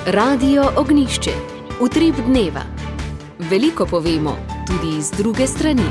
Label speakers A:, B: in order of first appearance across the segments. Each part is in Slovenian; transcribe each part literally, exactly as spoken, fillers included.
A: Radio Ognjišče. Utrip dneva. Veliko povemo, tudi iz druge strani.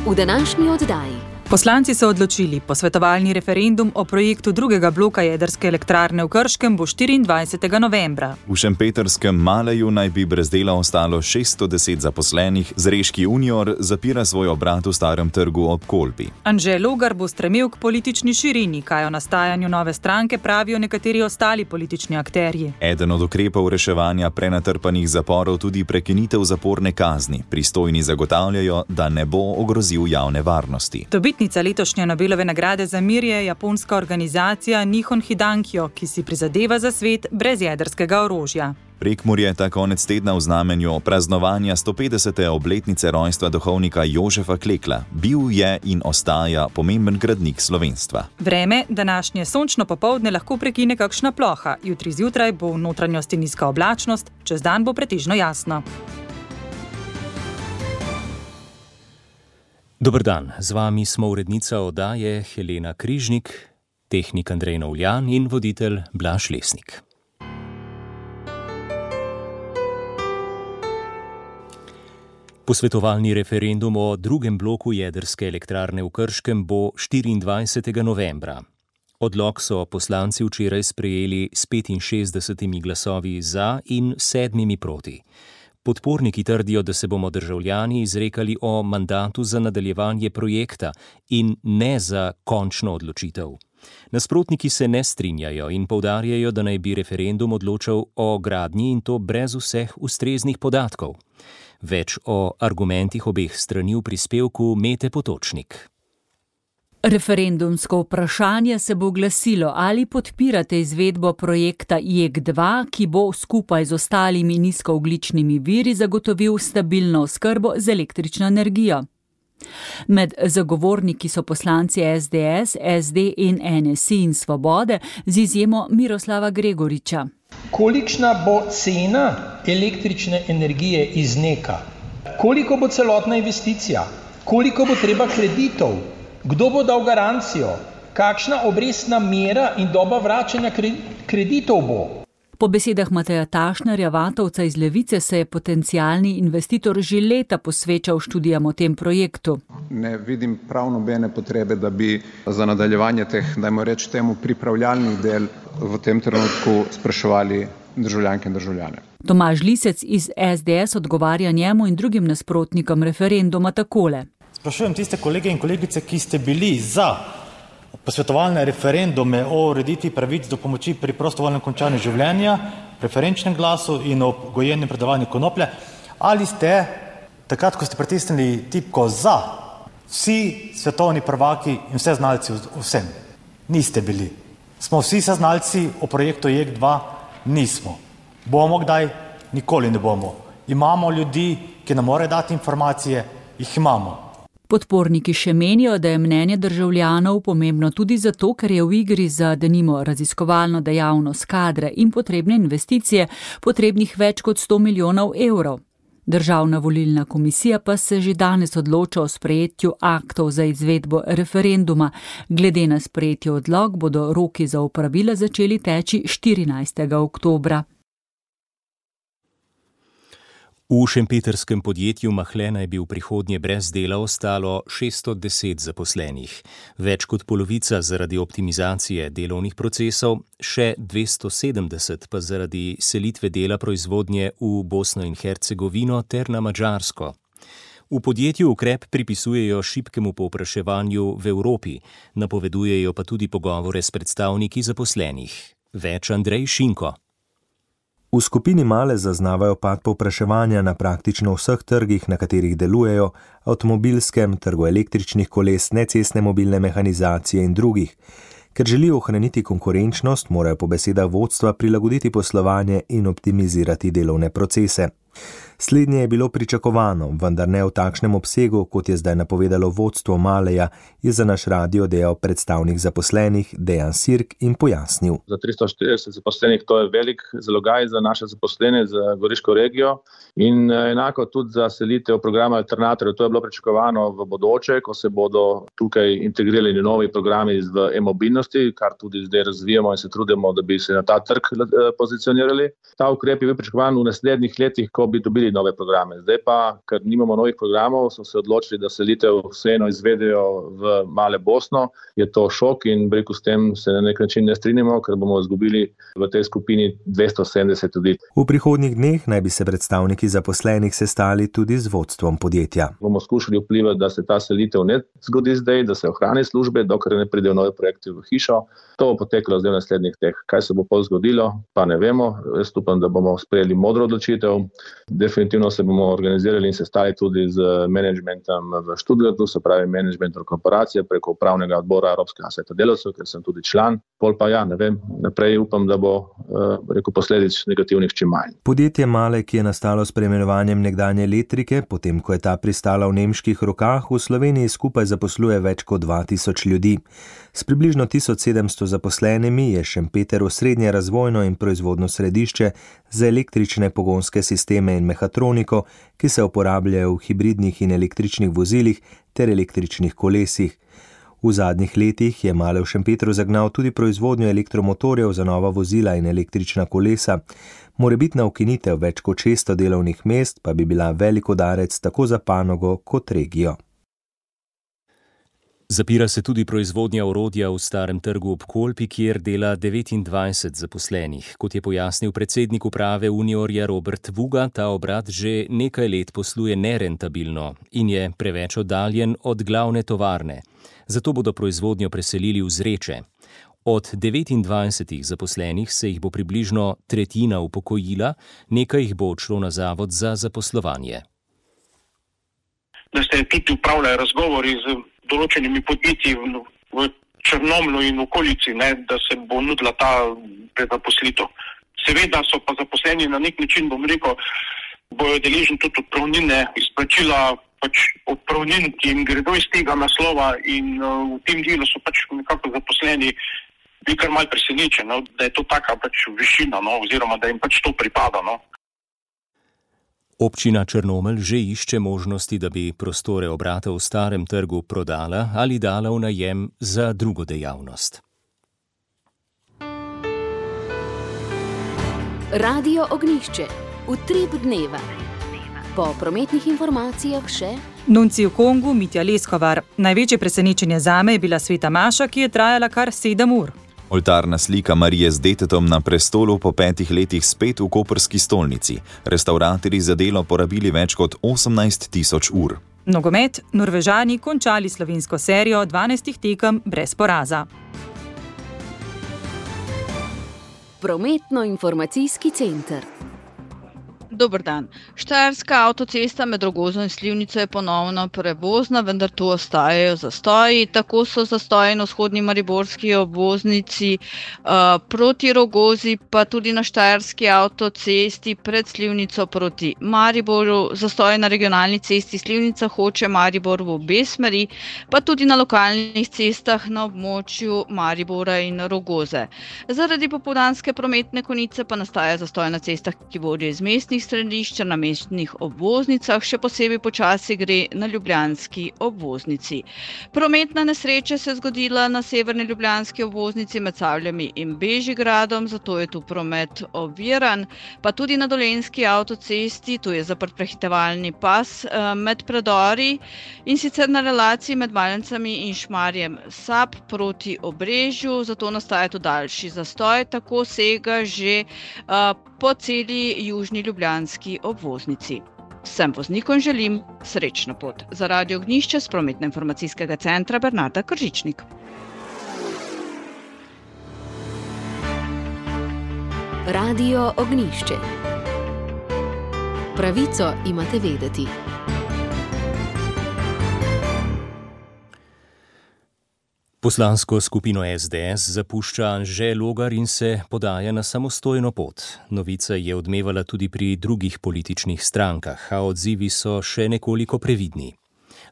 A: V današnji oddaji.
B: Poslanci so odločili, posvetovalni referendum o projektu drugega bloka jedrske elektrarne v Krškem bo štiriindvajsetega novembra.
C: V šempetrskem Maleju naj bi brez dela ostalo šeststo deset zaposlenih, Zreški Junior zapira svoj obrat v Starem trgu ob Kolpi.
B: Anže Logar bo stremel k politični širini, kaj o nastajanju nove stranke pravijo nekateri ostali politični akterji.
C: Eden od ukrepov reševanja prenatrpanih zaporov tudi prekinitev zaporne kazni. Pristojni zagotavljajo, da ne bo ogrozil javne varnosti.
B: Dobitnica letošnje Nobelove nagrade za mir je japonska organizacija Nihon Hidankyo, ki si prizadeva za svet brez jedrskega orožja.
C: Prekmurje ta konec tedna v znamenju praznovanja sto petdesete obletnice rojstva duhovnika Jožefa Klekla. Bil je in ostaja pomemben gradnik slovenstva.
B: Vreme današnje sončno popoldne lahko prekine kakšna ploha. Jutri zjutraj bo v notranjosti nizka oblačnost, čez dan bo pretežno jasno.
D: Dober dan, z vami smo urednica oddaje Helena Križnik, tehnik Andrej Novljan in voditelj Blaž Lesnik. Posvetovalni referendum o drugem bloku jedrske elektrarne v Krškem bo štiriindvajsetega novembra. Odlok so poslanci včeraj sprejeli s petinšestdesetimi glasovi za in sedmimi proti. Podporniki trdijo, da se bomo državljani izrekali o mandatu za nadaljevanje projekta in ne za končno odločitev. Nasprotniki se ne strinjajo in poudarjajo, da naj bi referendum odločal o gradnji in to brez vseh ustreznih podatkov. Več o argumentih obeh strani v prispevku Mete Potočnik.
E: Referendumsko vprašanje se bo glasilo, ali podpirate izvedbo projekta J E K dva, ki bo skupaj z ostalimi nizkoogljičnimi viri zagotovil stabilno oskrbo z električno energijo. Med zagovorniki so poslanci S D S, S D in N S I in Svobode, z izjemo Miroslava Gregoriča.
F: Kolikšna bo cena električne energije iz NEK-a? Koliko bo celotna investicija? Koliko bo treba kreditov? Kdo bo dal garancijo? Kakšna obrestna mera in doba vračanja kreditov bo?
E: Po besedah Mateja Tašnerja, Vatovca iz Levice, se je potencialni investitor že leta posvečal študijam o tem projektu.
G: Ne vidim prav nobene potrebe, da bi za nadaljevanje teh, dajmo reči temu, pripravljalnih del v tem trenutku spraševali državljanke in državljane.
E: Tomaž Lisec iz S D S odgovarja njemu in drugim nasprotnikom referenduma takole.
H: Sprašujem tiste kolege in kolegice, ki ste bili za posvetovalne referendume o ureditvi pravic do pomoči pri prostovoljnem končanju življenja, preferenčnem glasu in o gojenju in predavanju konoplje, ali ste, takrat, ko ste pritisnili tipko za, vsi svetovni prvaki in vse znalci vsem? Niste bili. Smo vsi seznalci o projektu J E K dva? Nismo. Bomo kdaj? Nikoli ne bomo. Imamo ljudi, ki nam morajo dati informacije, jih imamo.
E: Podporniki še menijo, da je mnenje državljanov pomembno tudi zato, ker je v igri za denimo raziskovalno dejavnost, kadre in potrebne investicije potrebnih več kot sto milijonov evrov. Državna volilna komisija pa se že danes odloča o sprejetju aktov za izvedbo referenduma. Glede na sprejetje odlok bodo roki za opravila začeli teči štirinajstega oktobra.
D: V šempeterskem podjetju Mahle naj bi v prihodnje brez dela ostalo šeststo deset zaposlenih. Več kot polovica zaradi optimizacije delovnih procesov, še dvesto sedemdeset pa zaradi selitve dela proizvodnje v Bosno in Hercegovino ter na Madžarsko. V podjetju ukrep pripisujejo šibkemu povpraševanju v Evropi, napovedujejo pa tudi pogovore s predstavniki zaposlenih. Več Andrej Šinko.
I: V skupini Male zaznavajo pad povpraševanja na praktično vseh trgih, na katerih delujejo, avtomobilskem, trgu električnih koles, necestne mobilne mehanizacije in drugih. Ker želijo ohraniti konkurenčnost, morajo po besedah vodstva prilagoditi poslovanje in optimizirati delovne procese. Slednje je bilo pričakovano, vendar ne v takšnem obsegu, kot je zdaj napovedalo vodstvo Maleja, je za naš radio dejal predstavnik zaposlenih Dejan Sirk in pojasnil.
J: Za tristo štirideset zaposlenih to je velik zalogaj za naše zaposlene, za Goriško regijo in enako tudi za selitev programa Alternatorjev. To je bilo pričakovano v bodoče, ko se bodo tukaj integrirali novi programi v e-mobilnosti, kar tudi zdaj razvijamo in se trudimo, da bi se na ta trg pozicionirali. Ta ukrep je bil pričakovan v naslednjih letih, ko bi dobili nove programe. Zdaj pa, ker nimamo novih programov, so se odločili, da selitev vseeno izvedejo v Male Bosno. Je to šok in breku s tem se na nek način ne strinjamo, ker bomo izgubili v tej skupini dvesto sedemdeset ljudi.
I: V prihodnjih dneh naj bi se predstavniki zaposlenih sestali tudi z vodstvom podjetja.
J: Bomo skušali vplivati, da se ta selitev ne zgodi zdaj, da se ohrani službe, dokler ne pridejo nove projekte v hišo. To bo potekalo zdaj v naslednjih teh. Kaj se bo pol zgodilo, pa ne vemo. Jaz upam, da bomo sprejeli modro odločitev. Definitivno se bomo organizirali in sestali tudi z menedžmentom v Stuttgartu, se pravi menedžmentom korporacije preko upravnega odbora Evropskega sveta delavcev, ker sem tudi član. Pol pa ja, ne vem, naprej upam, da bo rekel posledic negativnih čim manj.
I: Podjetje Male, ki je nastalo s preimenovanjem nekdanje Elektrike, potem ko je ta pristala v nemških rokah, v Sloveniji skupaj zaposluje več kot dva tisoč ljudi. S približno tisoč sedemsto zaposlenimi je Šempeter osrednje razvojno in proizvodno središče za električne pogonske sisteme in mehatroniko, ki se uporabljajo v hibridnih in električnih vozilih ter električnih kolesih. V zadnjih letih je Male v Šempetru zagnal tudi proizvodnjo elektromotorjev za nova vozila in električna kolesa. Morebitna ukinitev več kot šeststo delovnih mest pa bi bila velik udarec tako za panogo kot regijo.
D: Zapira se tudi proizvodnja orodja v Starem trgu ob Kolpi, kjer dela devetindvajset zaposlenih. Kot je pojasnil predsednik uprave Uniorja Robert Vuga, ta obrat že nekaj let posluje nerentabilno in je preveč oddaljen od glavne tovarne. Zato bodo proizvodnjo preselili v Zreče. Od devetindvajsetih zaposlenih se jih bo približno tretjina upokojila, nekaj jih bo odšlo na zavod za zaposlovanje.
K: Da se tudi upravljajo razgovori z določenimi podjetji v Črnomlju in v okolici, ne, da se bo nudila ta prezaposlitev. Seveda so pa zaposleni na nek način, bom rekel, bojo deležni tudi odpravnine, izplačila pač odpravnin, ki jim gredo iz tega naslova in uh, v tem delu so pač nekako zaposleni bili kar malo presenečeni, no, da je to taka pač višina, no, oziroma da jim pač to pripada, no.
D: Občina Črnomelj že išče možnosti, da bi prostore obrata v Starem trgu prodala ali dala v najem za drugo dejavnost.
A: Radio Ognjišče. Utrip dneva. Po prometnih informacijah še
B: Nunci v Kongu Mitja Leskovar. Največje presenečenje zame je bila sveta maša, ki je trajala kar sedem ur.
C: Oltarna slika Marije z detetom na prestolu po petih letih spet v koprski stolnici. Restavratorji za delo porabili več kot osemnajst tisoč ur.
B: Nogomet, Norvežani končali slovensko serijo dvanajstih tekem brez poraza.
A: Prometno-informacijski center.
L: Dober dan. Štajerska avtocesta med Rogozo in Slivnico je ponovno prevozna, vendar tu ostajajo zastoji. Tako so zastoji na vzhodni mariborski obvoznici uh, proti Rogozi, pa tudi na štajerski avtocesti pred Slivnico proti Mariboru. Zastoji na regionalni cesti Slivnica Hoče Maribor v obe smeri, pa tudi na lokalnih cestah na območju Maribora in Rogoze. Zaradi popoldanske prometne konice pa nastaja zastoj na cestah, ki vodijo iz mestnih središča na mestnih obvoznicah, še posebej počasi gre na ljubljanski obvoznici. Prometna nesreča se je zgodila na severni ljubljanski obvoznici med Savljami in Bežigradom, zato je tu promet oviran, pa tudi na dolenjski avtocesti, tu je zaprt prehitevalni pas med predori in sicer na relaciji med Malencami in Šmarjem Sap proti Obrežju, zato nastaja tu daljši zastoj, tako sega že uh, po celi južni ljubljanski obvoznici. Vsem voznikom želim srečno pot. Za Radio Ognjišče s prometno-informacijskega centra Bernarda Kržičnik.
A: Radio Ognjišče. Pravico imate vedeti.
D: Poslansko skupino S D S zapušča Anže Logar in se podaja na samostojno pot. Novica je odmevala tudi pri drugih političnih strankah, a odzivi so še nekoliko previdni.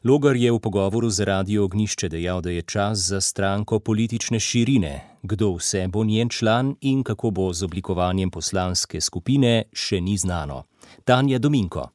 D: Logar je v pogovoru z Radio Ognjišče dejal, da je čas za stranko politične širine. Kdo vse bo njen član in kako bo z oblikovanjem poslanske skupine, še ni znano. Tanja Dominko.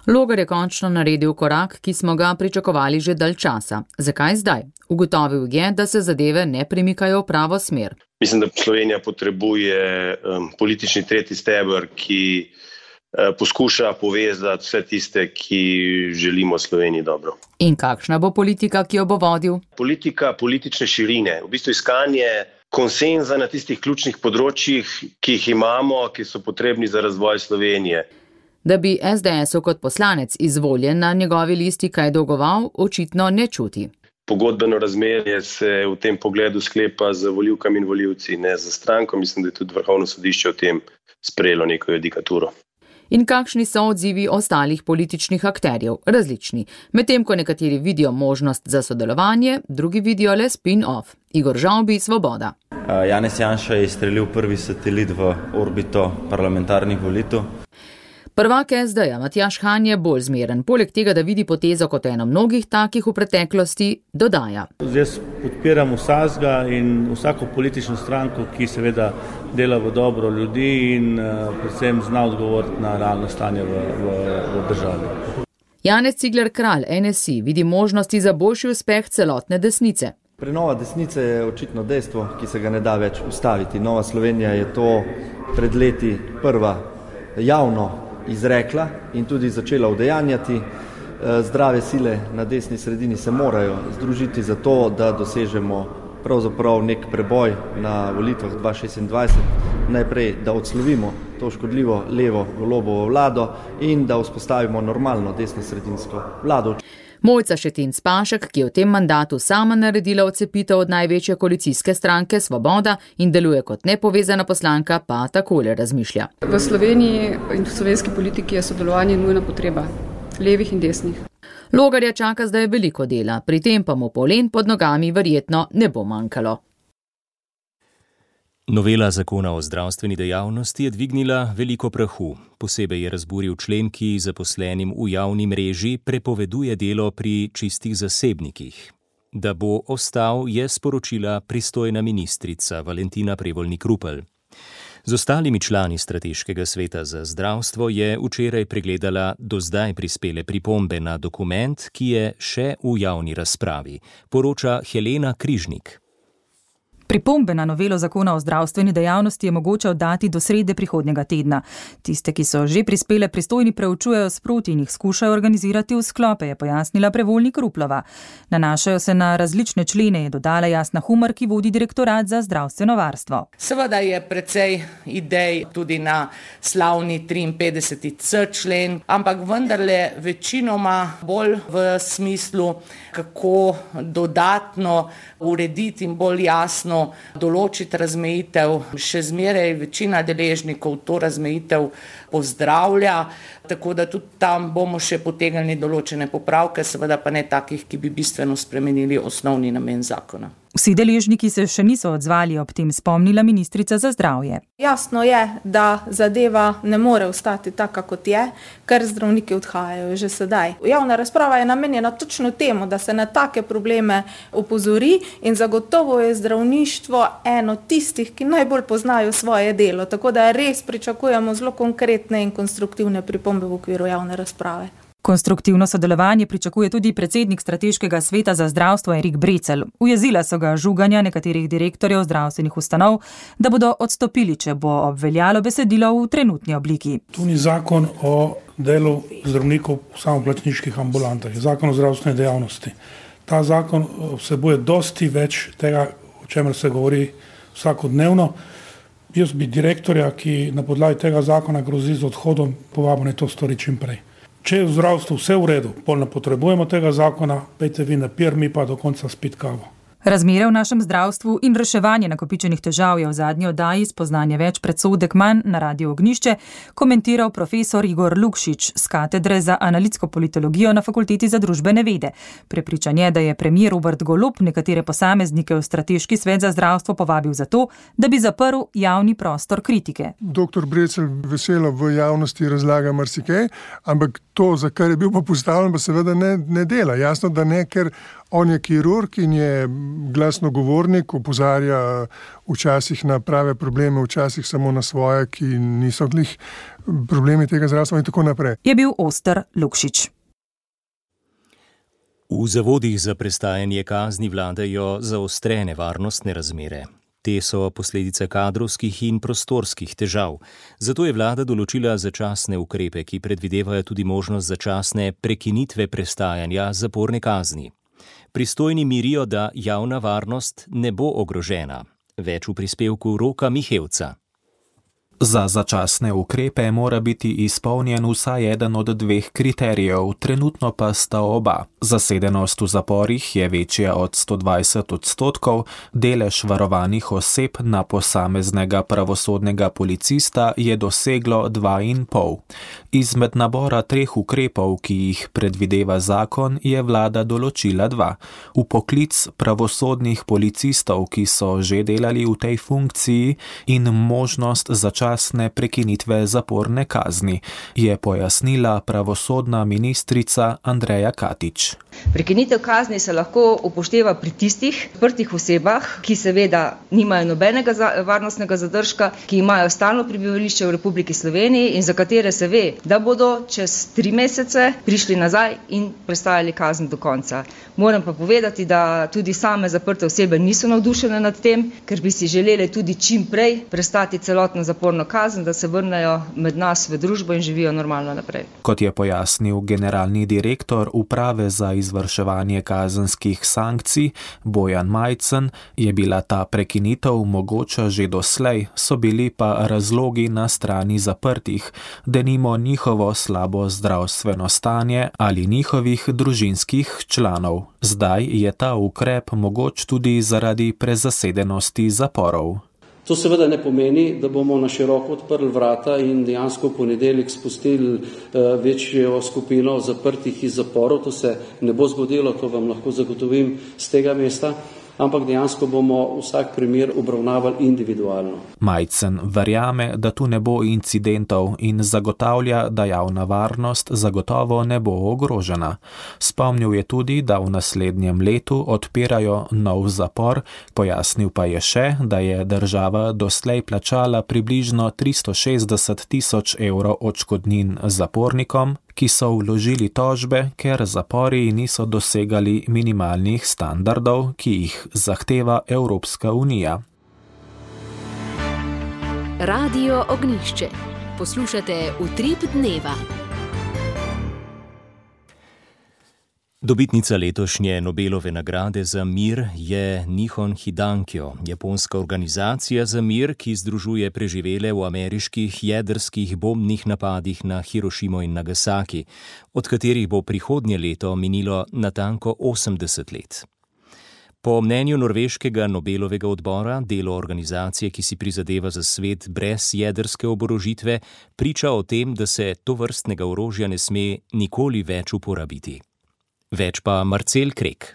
M: Logar je končno naredil korak, ki smo ga pričakovali že dalj časa. Zakaj zdaj? Ugotovil je, da se zadeve ne premikajo v pravo smer.
N: Mislim, da Slovenija potrebuje um, politični tretji steber, ki uh, poskuša povezati vse tiste, ki želimo Sloveniji dobro.
M: In kakšna bo politika, ki jo bo vodil?
N: Politika politične širine, v bistvu iskanje konsenza na tistih ključnih področjih, ki jih imamo, ki so potrebni za razvoj Slovenije.
M: Da bi S D S-u kot poslanec izvoljen na njegovi listi kaj dolgoval, očitno ne čuti.
N: Pogodbeno razmerje se v tem pogledu sklepa z volivkami in volivci, ne za stranko. Mislim, da je tudi Vrhovno sodišče o tem sprejelo neko judikaturo.
M: In kakšni so odzivi ostalih političnih akterjev? Različni. Medtem ko nekateri vidijo možnost za sodelovanje, drugi vidijo le spin-off. Igor Žavbi, Svoboda.
O: Janez Janša je izstrelil prvi satelit v orbito parlamentarnih volitev.
M: Prvak S D-ja Matjaž Han je bolj zmeren. Poleg tega, da vidi potezo kot eno mnogih takih v preteklosti, dodaja.
P: Jaz podpiram vsakega in vsako politično stranko, ki seveda dela v dobro ljudi in uh, predvsem zna odgovoriti na realno stanje v, v, v državi.
M: Janez Cigler Kralj, N S I, vidi možnosti za boljši uspeh celotne desnice.
Q: Prenova desnice je očitno dejstvo, ki se ga ne da več ustaviti. Nova Slovenija je to pred leti prva javno izrekla in tudi začela udejanjati. Zdrave sile na desni sredini se morajo združiti za to, da dosežemo pravzaprav nek preboj na volitvah dva tisoč šestindvajset. Najprej, da odslovimo to škodljivo levo Golobovo vlado in da vzpostavimo normalno desno-sredinsko vlado.
M: Mojca Šetinc Pašek, ki je v tem mandatu sama naredila odcepitev od največje koalicijske stranke Svoboda in deluje kot nepovezana poslanka, pa takole razmišlja.
R: V Sloveniji in v slovenski politiki je sodelovanje nujna potreba, levih in desnih.
M: Logarja čaka zdaj veliko dela, pri tem pa mu polen pod nogami verjetno ne bo manjkalo.
D: Novela zakona o zdravstveni dejavnosti je dvignila veliko prahu. Posebej je razburil člen, ki zaposlenim v javni mreži prepoveduje delo pri čistih zasebnikih. Da bo ostal, je sporočila pristojna ministrica Valentina Prevolnik Rupel. Z ostalimi člani strateškega sveta za zdravstvo je včeraj pregledala do zdaj prispele pripombe na dokument, ki je še v javni razpravi, poroča Helena Križnik.
B: Pripombe na novelo zakona o zdravstveni dejavnosti je mogoče oddati do srede prihodnjega tedna. Tiste, ki so že prispele, pristojni preučujejo sproti in jih skušajo organizirati v sklope, je pojasnila Prevolnik Ruplova. Nanašajo se na različne člene, je dodala Jasna Humar, ki vodi direktorat za zdravstveno varstvo.
S: Seveda je precej idej tudi na slavni triinpetdeseti C člen, ampak vendarle večinoma bolj v smislu, kako dodatno urediti in bolj jasno določiti razmejitev. Še zmeraj večina deležnikov to razmejitev pozdravlja, tako da tudi tam bomo še potegnili določene popravke, seveda pa ne takih, ki bi bistveno spremenili osnovni namen zakona.
B: Vsi deležniki se še niso odzvali, ob tem spomnila ministrica za zdravje.
T: Jasno je, da zadeva ne more ostati taka, kot je, ker zdravniki odhajajo že sedaj. Javna razprava je namenjena točno temu, da se na take probleme opozori in zagotovo je zdravništvo eno tistih, ki najbolj poznajo svoje delo, tako da res pričakujemo zelo konkretne in konstruktivne pripombe v okviru javne razprave.
B: Konstruktivno sodelovanje pričakuje tudi predsednik strateškega sveta za zdravstvo Erik Brecelj. Ujezila so ga žuganja nekaterih direktorjev zdravstvenih ustanov, da bodo odstopili, če bo obveljalo besedilo v trenutni obliki.
U: Tu ni zakon o delu zdravnikov v samoplačniških ambulantah, je zakon o zdravstveni dejavnosti. Ta zakon vsebuje dosti več tega, o čemer se govori vsakodnevno. Jaz bi direktorja, ki na podlagi tega zakona grozi z odhodom, povabil naj to stori čim prej. Če je v zdravstvu vse v redu, pol ne potrebujemo tega zakona, pejte vi na pir, mi pa do konca spit kavo.
B: Razmere v našem zdravstvu in reševanje nakopičenih težav je v zadnji oddaji Spoznanje več predsodek manj na Radiu Ognjišče komentiral profesor Igor Lukšič z katedre za analitsko politologijo na Fakulteti za družbene vede. Prepričan je, da je premier Robert Golob nekatere posameznike v strateški svet za zdravstvo povabil zato, da bi zaprl javni prostor kritike.
F: Doktor Brecelj veselo v javnosti razlaga marsikaj, ampak to, za kar je bil pa postavljen, pa seveda ne, ne dela. Jasno, da ne, ker on je kirurg in je glasno govornik, opozarja včasih na prave probleme, včasih samo na svoje, ki niso glih problemi tega zdravstva in tako naprej.
B: Je bil oster Lukšič.
D: V zavodih za prestajanje kazni vladajo zaostrene varnostne razmere. Te so posledice kadrovskih in prostorskih težav. Zato je vlada določila začasne ukrepe, ki predvidevajo tudi možnost začasne prekinitve prestajanja zaporne kazni. Pristojni mirijo, da javna varnost ne bo ogrožena. Več v prispevku Roka Mihevca.
V: Za začasne ukrepe mora biti izpolnjen vsaj eden od dveh kriterijev, trenutno pa sta oba. Zasedenost v zaporih je večja od sto dvajset odstotkov, delež varovanih oseb na posameznega pravosodnega policista je doseglo dva in pol. Izmed nabora treh ukrepov, ki jih predvideva zakon, je vlada določila dva. Vpoklic pravosodnih policistov, ki so že delali v tej funkciji, in možnost začasne prekinitve zaporne kazni, je pojasnila pravosodna ministrica Andreja Katič.
W: Prekinitev kazni se lahko upošteva pri tistih odprtih osebah, ki seveda nimajo nobenega varnostnega zadržka, ki imajo stalno prebivališče v Republiki Sloveniji in za katere se ve, da bodo čez tri mesece prišli nazaj in prestajali kazen do konca. Moram pa povedati, da tudi same zaprte osebe niso navdušene nad tem, ker bi si želeli tudi čim prej prestati celotno zaporno kazen, da se vrnejo med nas v družbo in živijo normalno naprej.
V: Kot je pojasnil generalni direktor Uprave za izvrševanje kazenskih sankcij Bojan Majcen, je bila ta prekinitev mogoča že doslej, so bili pa razlogi na strani zaprtih, denimo njihovo slabo zdravstveno stanje ali njihovih družinskih članov. Zdaj je ta ukrep mogoč tudi zaradi prezasedenosti zaporov.
X: To seveda ne pomeni, da bomo na široko odprli vrata in dejansko v ponedeljek spustili večjo skupino zaprtih iz zaporov. To se ne bo zgodilo, to vam lahko zagotovim z tega mesta, ampak dejansko bomo vsak primer obravnavali individualno.
V: Majcen verjame, da tu ne bo incidentov in zagotavlja, da javna varnost zagotovo ne bo ogrožena. Spomnil je tudi, da v naslednjem letu odpirajo nov zapor, pojasnil pa je še, da je država doslej plačala približno tristo šestdeset tisoč evrov odškodnin zapornikom, ki so vložili tožbe, ker zapori niso dosegali minimalnih standardov, ki jih zahteva Evropska unija.
A: Radio Ognjišče. Poslušate Utrip dneva.
D: Dobitnica letošnje Nobelove nagrade za mir je Nihon Hidankyo, japonska organizacija za mir, ki združuje preživele v ameriških jedrskih bombnih napadih na Hirošimo in Nagasaki, od katerih bo prihodnje leto minilo natanko osemdeset let. Po mnenju norveškega Nobelovega odbora, delo organizacije, ki si prizadeva za svet brez jedrske oborožitve, priča o tem, da se tovrstnega orožja ne sme nikoli več uporabiti. Več pa Marcel Krek.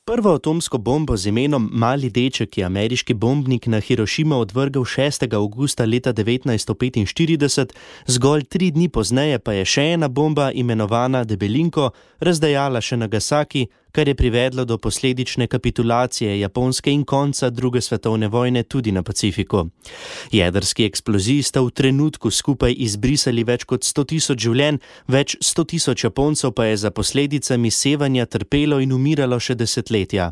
Y: Prvo atomsko bombo z imenom Mali deček je ameriški bombnik na Hirošimo odvrgel šestega avgusta leta devetnajststo petinštirideset, zgolj tri dni pozneje pa je še ena bomba, imenovana Debelinko, razdejala še Nagasaki, kar je privedlo do posledične kapitulacije Japonske in konca druge svetovne vojne tudi na Pacifiku. Jedrski eksploziji sta v trenutku skupaj izbrisali več kot sto tisoč življenj, več sto tisoč Japoncev pa je za posledicami sevanja trpelo in umiralo še desetletja.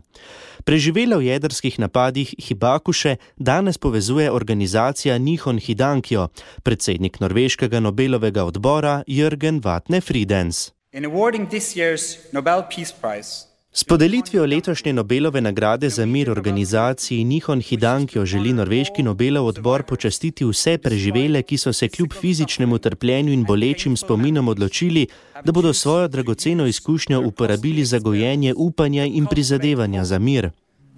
Y: Preživela v jedrskih napadih Hibakushe danes povezuje organizacija Nihon Hidankyo, predsednik norveškega Nobelovega odbora Jørgen Vatne Fridens.
Z: In awarding this year's Nobel Peace Prize,
Y: S podelitvijo letošnje Nobelove nagrade za mir organizaciji Nihon Hidankyo želi norveški Nobelov odbor počastiti vse preživele, ki so se kljub fizičnemu trpljenju in bolečim spominom odločili, da bodo svojo dragoceno izkušnjo uporabili za gojenje upanja in prizadevanja za mir.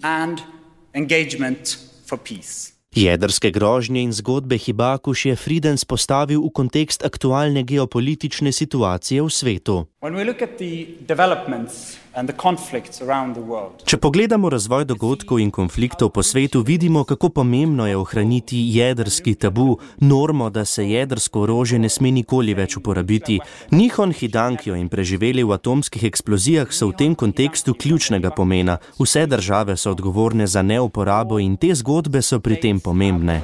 Z: and engagement for peace.
Y: Jedrske grožnje in zgodbe Hibakuš je Fridens postavil v kontekst aktualne geopolitične situacije v svetu. Če pogledamo razvoj dogodkov in konfliktov po svetu, vidimo, kako pomembno je ohraniti jedrski tabu, normo, da se jedrsko orožje ne sme nikoli več uporabiti. Nihon Hidankyo in preživeli v atomskih eksplozijah so v tem kontekstu ključnega pomena. Vse države so odgovorne za neuporabo in te zgodbe so pri tem pomembne.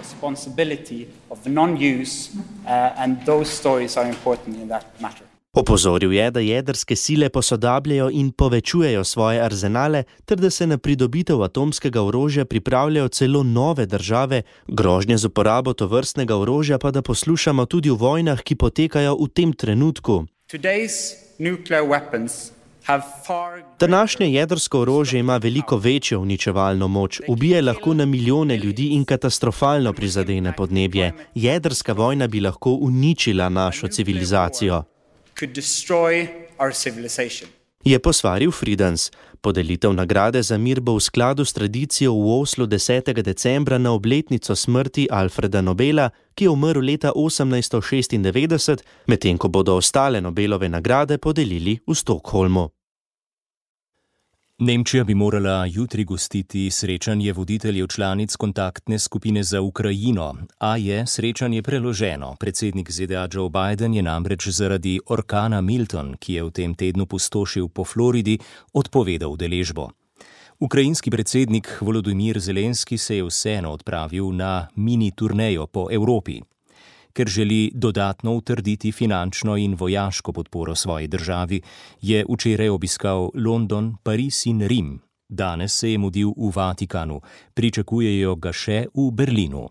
Y: Opozoril je, da jedrske sile posodabljajo in povečujejo svoje arzenale, ter da se na pridobitev atomskega orožja pripravljajo celo nove države, grožnje z uporabo tovrstnega orožja pa da poslušamo tudi v vojnah, ki potekajo v tem trenutku. Današnje jedrsko orožje ima veliko večjo uničevalno moč, ubije lahko na milijone ljudi in katastrofalno prizadene podnebje. Jedrska vojna bi lahko uničila našo civilizacijo. Je posvaril Fridens. Podelitev nagrade za mir bo v skladu s tradicijo v Oslu desetega decembra na obletnico smrti Alfreda Nobela, ki je umrl leta osemnajststo šestindevetdeset, medtem ko bodo ostale Nobelove nagrade podelili v Stockholmu.
D: Nemčija bi morala jutri gostiti srečanje voditeljev članic kontaktne skupine za Ukrajino, a je srečanje preloženo. Predsednik Z D A Joe Biden je namreč zaradi orkana Milton, ki je v tem tednu pustošil po Floridi, odpovedal udeležbo. Ukrajinski predsednik Volodymyr Zelenski se je vseeno odpravil na mini turnejo po Evropi. Ker želi dodatno utrditi finančno in vojaško podporo svoji državi, je včeraj obiskal London, Pariz in Rim. Danes se je mudil v Vatikanu, pričakujejo ga še v Berlinu.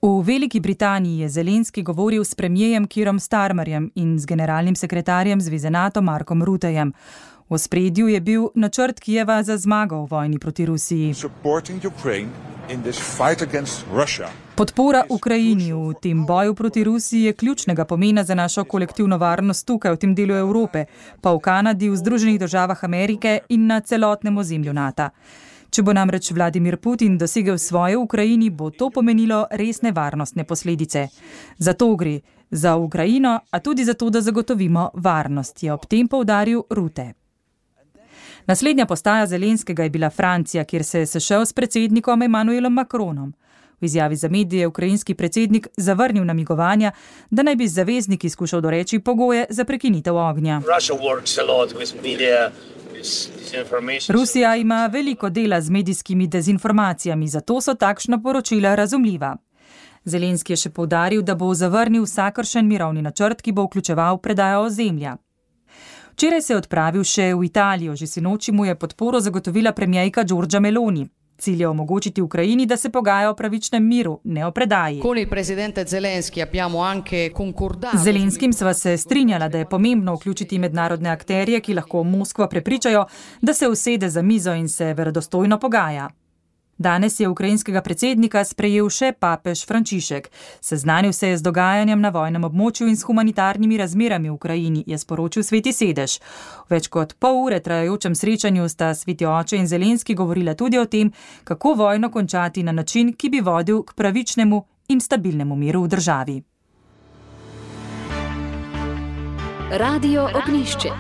B: V Veliki Britaniji je Zelenski govoril s premijejem Keerom Starmerjem in z generalnim sekretarjem Zveze NATO Markom Ruttejem. V ospredju je bil načrt Kijeva za zmago v vojni proti Rusiji. Podpora Ukrajini v tem boju proti Rusiji je ključnega pomena za našo kolektivno varnost tukaj v tem delu Evrope, pa v Kanadi, v Združenih državah Amerike in na celotnem ozemlju NATO. Če bo namreč Vladimir Putin dosegel svoje v Ukrajini, bo to pomenilo resne varnostne posledice. Zato gre za Ukrajino, a tudi za to, da zagotovimo varnost, je ob tem poudaril Rutte. Naslednja postaja Zelenskega je bila Francija, kjer se je sešel s predsednikom Emmanuelom Macronom. V izjavi za medije je ukrajinski predsednik zavrnil namigovanja, da naj bi zavezniki skušal doreči pogoje za prekinitev ognja. Rusija ima veliko dela z medijskimi dezinformacijami, zato so takšna poročila razumljiva. Zelenski je še poudaril, da bo zavrnil vsakršen mirovni načrt, ki bo vključeval predajo ozemlja. Včeraj se je odpravil še v Italijo, že sinoči mu je podporo zagotovila premijejka Giorgia Meloni. Cilj je omogočiti Ukrajini, da se pogaja o pravičnem miru, ne o predaji. Z Zelenskim sva se strinjala, da je pomembno vključiti mednarodne akterje, ki lahko Moskvo prepričajo, da se usede za mizo in se verodostojno pogaja. Danes je ukrajinskega predsednika sprejel še papež Frančišek. Seznanil se je z dogajanjem na vojnem območju in s humanitarnimi razmerami v Ukrajini, je sporočil Sveti sedež. V več kot pol ure trajajočem srečanju sta Sveti oče in Zelenski govorila tudi o tem, kako vojno končati na način, ki bi vodil k pravičnemu in stabilnemu miru v državi.
A: Radio Ognjišče.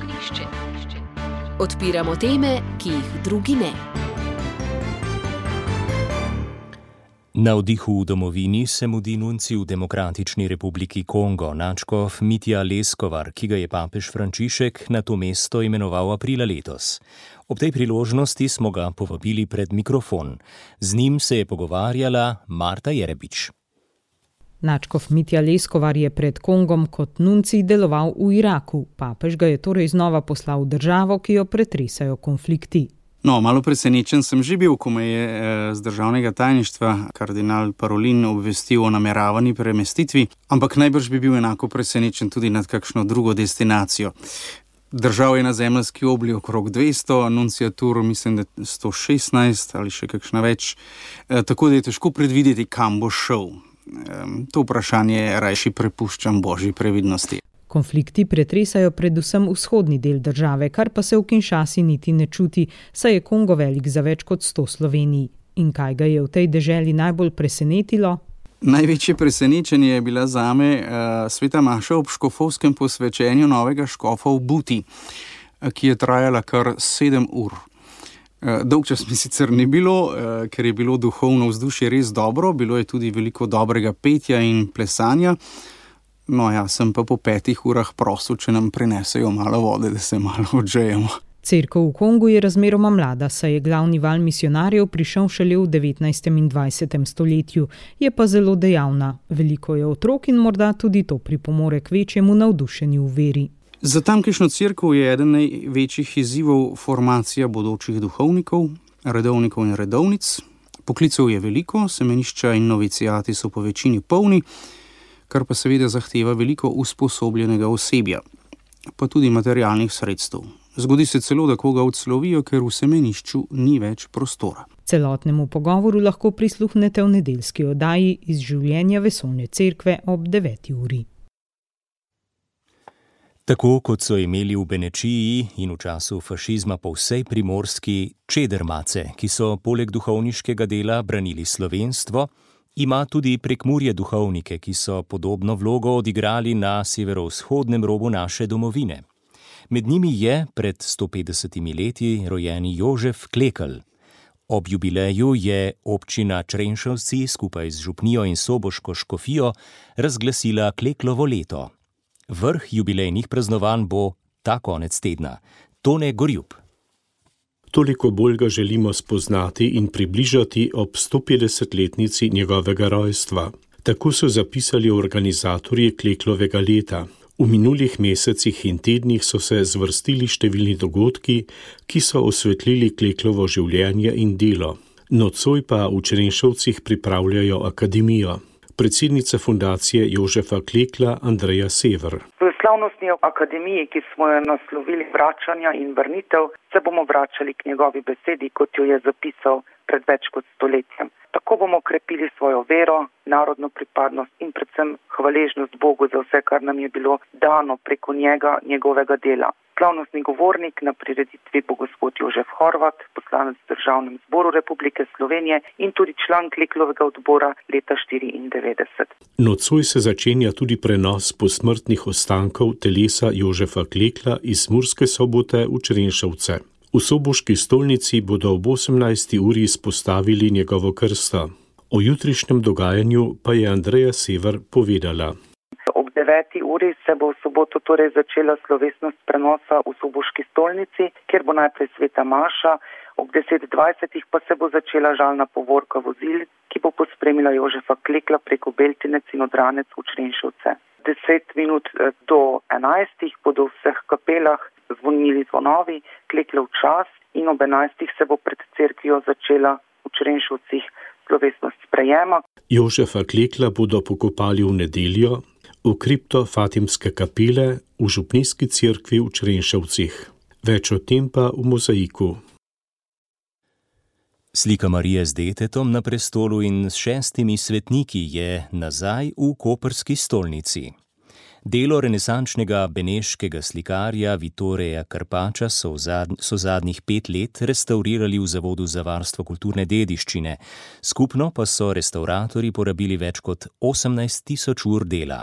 A: Odpiramo teme, ki jih drugi ne.
D: Na vdihu v domovini se mudi nunci v Demokratični republiki Kongo, nadškof Mitja Leskovar, ki ga je papež Frančišek na to mesto imenoval aprila letos. Ob tej priložnosti smo ga povabili pred mikrofon. Z njim se je pogovarjala Marta Jerebič.
E: Nadškof Mitja Leskovar je pred Kongom kot nunci deloval v Iraku. Papež ga je torej znova poslal v državo, ki jo pretresajo konflikti.
G: No, malo presenečen sem že bil, ko me je z državnega tajništva kardinal Parolin obvestil o nameravani premestitvi, ampak najbrž bi bil enako presenečen tudi nad kakšno drugo destinacijo. Držav je na zemeljski obli okrog dvesto, nunciatur mislim, da sto šestnajst ali še kakšna več, tako da je težko predvideti, kam bo šel. To vprašanje rajši prepuščam božji previdnosti.
E: Konflikti pretresajo predvsem vzhodni del države, kar pa se v Kinshasi niti ne čuti, saj je Kongo velik za več kot sto Slovenij. In kaj ga je v tej deželi najbolj presenetilo?
G: Največje presenečenje je bila zame uh, sveta maša ob škofovskem posvečenju novega škofa v Buti, uh, ki je trajala kar sedem ur. Uh, dolg čas mi sicer ni bilo, uh, ker je bilo duhovno vzdušje res dobro, bilo je tudi veliko dobrega petja in plesanja. No ja, sem pa po petih urah prosil, če nam prinesejo malo vode, da se malo odžejemo.
E: Cerkev v Kongu je razmeroma mlada, saj je glavni val misionarjev prišel šele v devetnajstem in dvajsetem stoletju, je pa zelo dejavna. Veliko je otrok in morda tudi to pripomore k večjemu navdušenju v veri.
G: Za tamkajšnjo cerkev je eden največjih izzivov formacija bodočih duhovnikov, redovnikov in redovnic. Poklicev je veliko, semenišča in novicijati so po večini polni, kar pa seveda zahteva veliko usposobljenega osebja, pa tudi materialnih sredstev. Zgodi se celo, da koga odslovijo, ker v semenišču ni več prostora.
E: Celotnemu pogovoru lahko prisluhnete v nedeljski oddaji iz življenja Vesoljne cerkve ob deveti uri.
D: Tako kot so imeli v Benečiji in v času fašizma po vsej Primorski čedermace, ki so poleg duhovniškega dela branili slovenstvo, ima tudi Prekmurje duhovnike, ki so podobno vlogo odigrali na severovzhodnem robu naše domovine. Med njimi je pred sto petdesetimi leti rojeni Jožef Klekl. Ob jubileju je občina Črenšovci skupaj z župnijo in soboško škofijo razglasila Kleklovo leto. Vrh jubilejnih praznovanj bo ta konec tedna. Tone Gorjub.
C: Toliko bolj ga želimo spoznati in približati ob sto petdesetletnici njegovega rojstva. Tako so zapisali organizatorji Kleklovega leta. V minulih mesecih in tednih so se zvrstili številni dogodki, ki so osvetlili Kleklovo življenje in delo. Nocoj pa v Črenšovcih pripravljajo akademijo. Predsednica fundacije Jožefa Klekla Andreja Sever.
H: V slavnostni akademiji, ki smo jo naslovili Vračanja in vrnitev, se bomo vračali k njegovi besedi, kot jo je zapisal pred več kot stoletjem. Tako bomo krepili svojo vero, narodno pripadnost in predvsem hvaležnost Bogu za vse, kar nam je bilo dano preko njega, njegovega dela. Slavnostni govornik na prireditvi bo gospod Jožef Horvat, poslanec v Državnem zboru Republike Slovenije in tudi član Kleklovega odbora leta štiriindevetdeset.
C: Nocoj se začenja tudi prenos posmrtnih ostankov telesa Jožefa Klekla iz Murske Sobote v Črenšovce. V soboški stolnici bodo ob osemnajsti uri izpostavili njegovo krsto. O jutrišnjem dogajanju pa je Andreja Sever povedala.
H: Ob deveti uri se bo v soboto torej začela slovesnost prenosa v soboški stolnici, kjer bo najprej sveta maša, ob deset dvajset pa se bo začela žalna povorka vozil, ki bo pospremila Jožefa Klekla preko Beltinec in Odranec v Črenšovce. Deset minut do enajstih bodo v vseh kapelah zvonili zvonovi, Kleklov čas in ob enajstih se bo pred cerkvijo začela v Črenšovcih slovesnost sprejema.
C: Jožefa Klekla bodo pokopali v nedeljo v kripto Fatimske kapele v župnijski cerkvi v Črenšovcih. Več o tem pa v mozaiku.
D: Slika Marije z detetom na prestolu in s šestimi svetniki je nazaj v koprski stolnici. Delo renesančnega beneškega slikarja Vittoria Carpaccia so, zadn- so zadnjih pet let restaurirali v Zavodu za varstvo kulturne dediščine. Skupno pa so restavratorji porabili več kot osemnajst tisoč ur dela.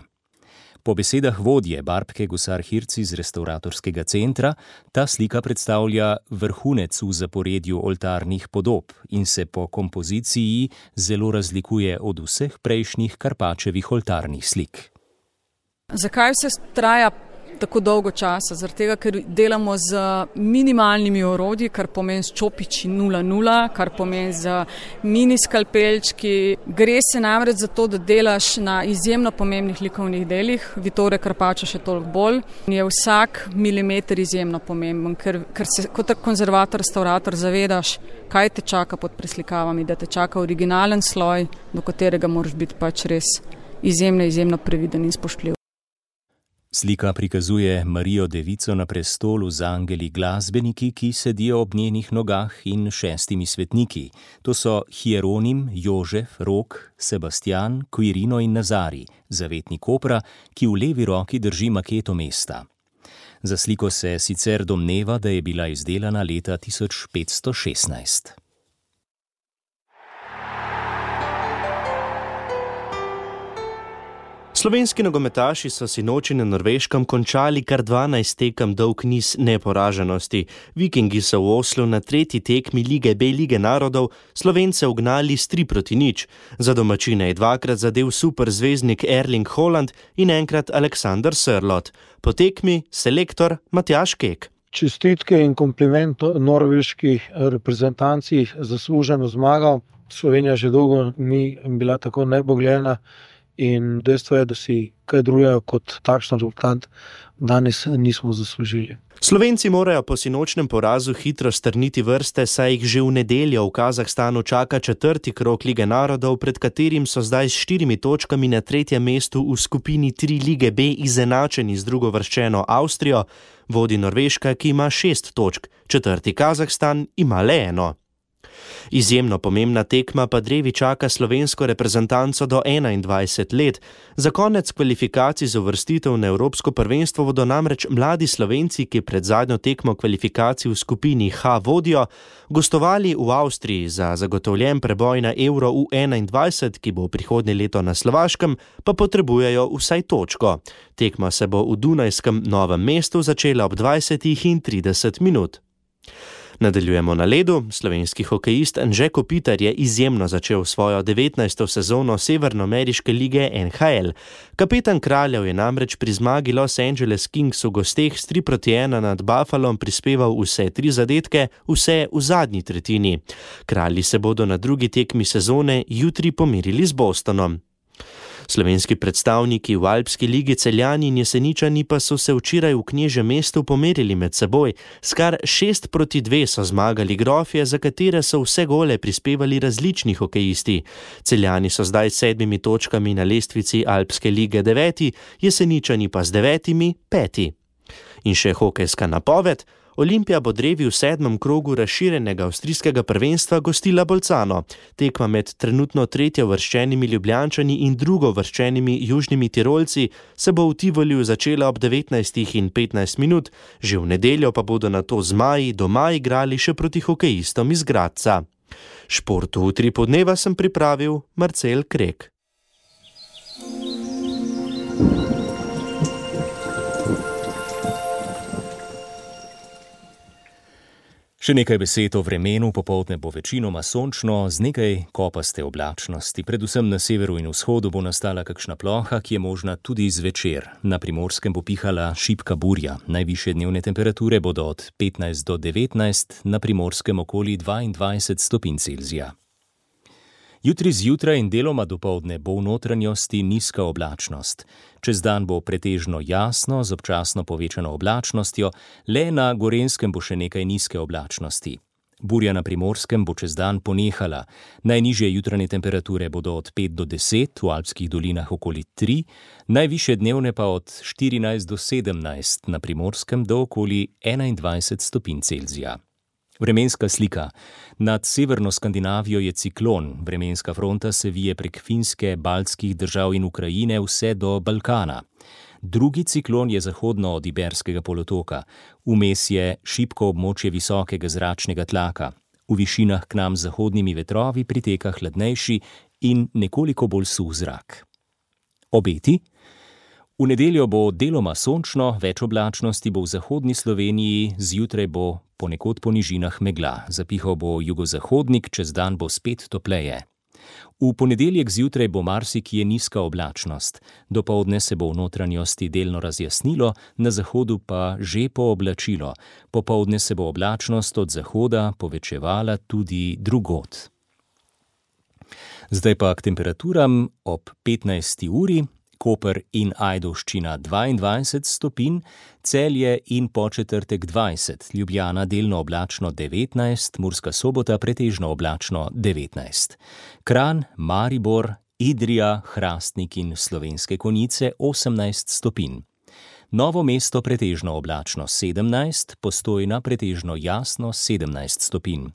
D: Po besedah vodje Barbke Gusar-Hirci z restauratorskega centra, ta slika predstavlja vrhunec v zaporedju oltarnih podob in se po kompoziciji zelo razlikuje od vseh prejšnjih Carpaccievih oltarnih slik.
I: Zakaj vse traja tako dolgo časa? Zaradi tega, ker delamo z minimalnimi orodji, kar pomeni s čopiči nula nula, kar pomeni z mini skalpelčki. Gre se namreč za to, da delaš na izjemno pomembnih likovnih delih, Vittoria Carpaccia še toliko bolj. Je vsak milimeter izjemno pomemben, ker, ker se kot konzervator, restaurator zavedaš, kaj te čaka pod preslikavami, da te čaka originalen sloj, do katerega moraš biti pač res izjemno, izjemno previden in spoštljiv.
D: Slika prikazuje Marijo Devico na prestolu z angeli glasbeniki, ki sedijo ob njenih nogah, in šestimi svetniki. To so Hieronim, Jožef, Rok, Sebastian, Quirino in Nazari, zavetnik Kopra, ki v levi roki drži maketo mesta. Za sliko se sicer domneva, da je bila izdelana leta tisoč petsto šestnajst.
Y: Slovenski nogometaši so sinoči na Norveškem končali kar dvanajst tekem dolg niz neporaženosti. Vikingi so v Oslu na tretji tekmi Lige B Lige narodov Slovence ugnali s tri proti nič. Za domačine je dvakrat zadel superzvezdnik Erling Haaland in enkrat Alexander Sørloth. Po tekmi selektor Matjaž Kek.
J: Čestitke in kompliment norveški reprezentanci, zasluženo zmago. Slovenija že dolgo ni bila tako nebogljena. In dejstvo je, da si kaj drugega kot takšen rezultat danes nismo zaslužili.
Y: Slovenci morajo po sinočnem porazu hitro strniti vrste, saj jih že v nedeljo v Kazahstanu čaka četrti krog Lige narodov, pred katerim so zdaj s štirimi točkami na tretjem mestu v skupini tri Lige B izenačeni z drugovrščeno Avstrijo, vodi Norveška, ki ima šest točk, četrti Kazahstan ima le eno. Izjemno pomembna tekma pa drevi čaka slovensko reprezentanco do enaindvajset let. Za konec kvalifikacij za uvrstitev na Evropsko prvenstvo bodo namreč mladi Slovenci, ki pred zadnjo tekmo kvalifikacij v skupini H vodijo, gostovali v Avstriji. Za zagotovljen preboj na Euro U enaindvajset, ki bo prihodnje leto na Slovaškem, pa potrebujejo vsaj točko. Tekma se bo v dunajskem Novem mestu začela ob dvajsetih in trideset minut. Nadaljujemo na ledu. Slovenski hokejist Anže Kopitar je izjemno začel svojo devetnajsto sezono Severnoameriške lige N H L. Kapetan Kraljev je namreč pri zmagi Los Angeles Kings v gosteh s tri proti ena nad Buffalom prispeval vse tri zadetke, vse v zadnji tretjini. Kralji se bodo na drugi tekmi sezone jutri pomerili z Bostonom. Slovenski predstavniki v Alpski ligi Celjani in Jeseničani pa so se včeraj v Knežjem mestu pomerili med seboj. S kar šest proti dve so zmagali Grofje, za katere so vse gole prispevali različni hokejisti. Celjani so zdaj s sedmimi točkami na lestvici Alpske lige deveti, Jeseničani pa z devetimi peti. In še hokejska napoved. Olimpija bo drevi v sedmem krogu razširjenega avstrijskega prvenstva gostila Bolcano. Tekma med trenutno tretjo vrščenimi Ljubljančani in drugo vrščenimi Južnimi Tirolci se bo v Tivoliju začela ob devetnajstih in petnajst minut, že v nedeljo pa bodo nato zmaji doma igrali še proti hokejistom iz Gradca. Športu v tri podneva sem pripravil Marcel Krek.
D: Še nekaj besed o vremenu. Popoldne bo večinoma sončno, z nekaj kopaste oblačnosti. Predvsem na severu in vzhodu bo nastala kakšna ploha, ki je možna tudi zvečer. Na Primorskem bo pihala šibka burja. Najvišje dnevne temperature bodo od petnajst do devetnajst, na Primorskem okoli dvaindvajset stopinj Celzija. Jutri zjutraj in deloma dopoldne bo v notranjosti nizka oblačnost. Čez dan bo pretežno jasno, z občasno povečano oblačnostjo, le na Gorenjskem bo še nekaj nizke oblačnosti. Burja na Primorskem bo čez dan ponehala. Najnižje jutranje temperature bodo od pet do deset, v Alpskih dolinah okoli tri, najvišje dnevne pa od štirinajst do sedemnajst, na Primorskem do okoli enaindvajset stopinj Celzija. Vremenska slika. Nad severno Skandinavijo je ciklon. Vremenska fronta se vije prek Finske, baltskih držav in Ukrajine vse do Balkana. Drugi ciklon je zahodno od Iberskega polotoka. Vmes je šibko območje visokega zračnega tlaka. V višinah k nam z zahodnimi vetrovi priteka hladnejši in nekoliko bolj suh zrak. Obeti? V nedeljo bo deloma sončno, več oblačnosti bo v zahodni Sloveniji, zjutraj bo ponekod po nižinah megla. Zapihal bo jugozahodnik, čez dan bo spet topleje. V ponedeljek zjutraj bo marsikje nizka oblačnost. Dopoldne se bo v notranjosti delno razjasnilo, na zahodu pa že pooblačilo. Popoldne se bo oblačnost od zahoda povečevala tudi drugod. Zdaj pa k temperaturam ob petnajsti uri. Koper in Ajdovščina dvaindvajset stopinj, Celje in Podčetrtek dvajset, Ljubljana delno oblačno devetnajst, Murska Sobota pretežno oblačno devetnajst. Kranj, Maribor, Idrija, Hrastnik in Slovenske Konjice osemnajst stopinj. Novo Mesto pretežno oblačno sedemnajst, Postojna pretežno jasno sedemnajst stopinj.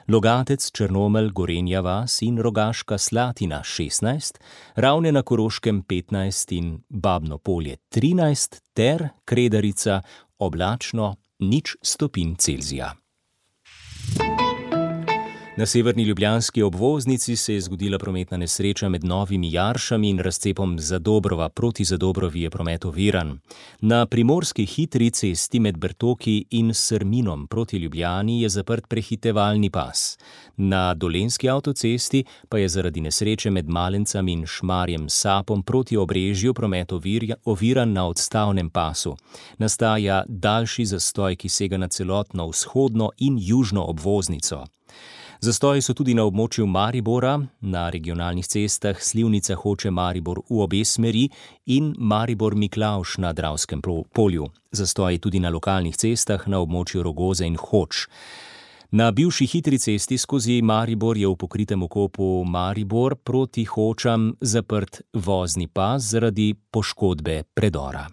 D: Logatec, Črnomelj, Gorenja vas in Rogaška Slatina šestnajst, Ravne na Koroškem petnajst in Babno Polje trinajst ter Kredarica oblačno nič stopinj Celzija. Na severni ljubljanski obvoznici se je zgodila prometna nesreča med Novimi Jaršami in razcepom Zadobrova. Proti Zadobrovi je promet oviran. Na primorski hitri cesti med Bertoki in Srminom proti Ljubljani je zaprt prehitevalni pas. Na dolenski avtocesti pa je zaradi nesreče med Malencem in Šmarjem Sapom proti Obrežju promet oviran na odstavnem pasu. Nastaja daljši zastoj, ki sega na celotno vzhodno in južno obvoznico. Zastoji so tudi na območju Maribora, na regionalnih cestah Slivnica Hoče Maribor v obe smeri in Maribor-Miklavž na Dravskem polju. Zastoji tudi na lokalnih cestah na območju Rogoze in Hoč. Na bivši hitri cesti skozi Maribor je v pokritem okopu Maribor proti Hočam zaprt vozni pas zaradi poškodbe predora.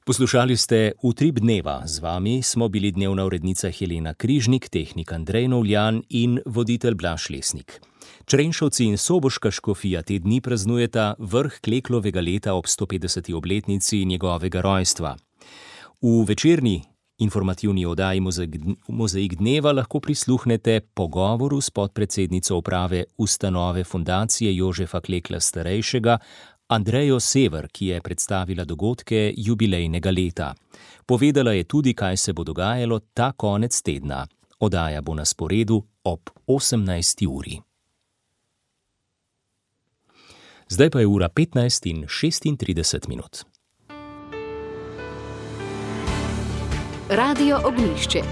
D: Poslušali ste Utrip dneva, z vami smo bili dnevna urednica Helena Križnik, tehnik Andrej Novljan in voditelj Blaž Lesnik. Črenšovci in soboška škofija te dni praznujeta vrh Kleklovega leta ob sto petdeseti obletnici njegovega rojstva. V večerni informativni oddaji Mozaik dneva lahko prisluhnete pogovoru s podpredsednico uprave ustanove Fundacije Jožefa Klekla starejšega, Andrejo Sever, ki je predstavila dogodke jubilejnega leta. Povedala je tudi, kaj se bo dogajalo ta konec tedna. Oddaja bo na sporedu ob osemnajsti uri. Zdaj pa je ura petnajst in šestintrideset minut.
A: Radio Ognjišče.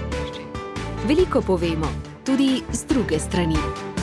A: Veliko povemo, tudi z druge strani.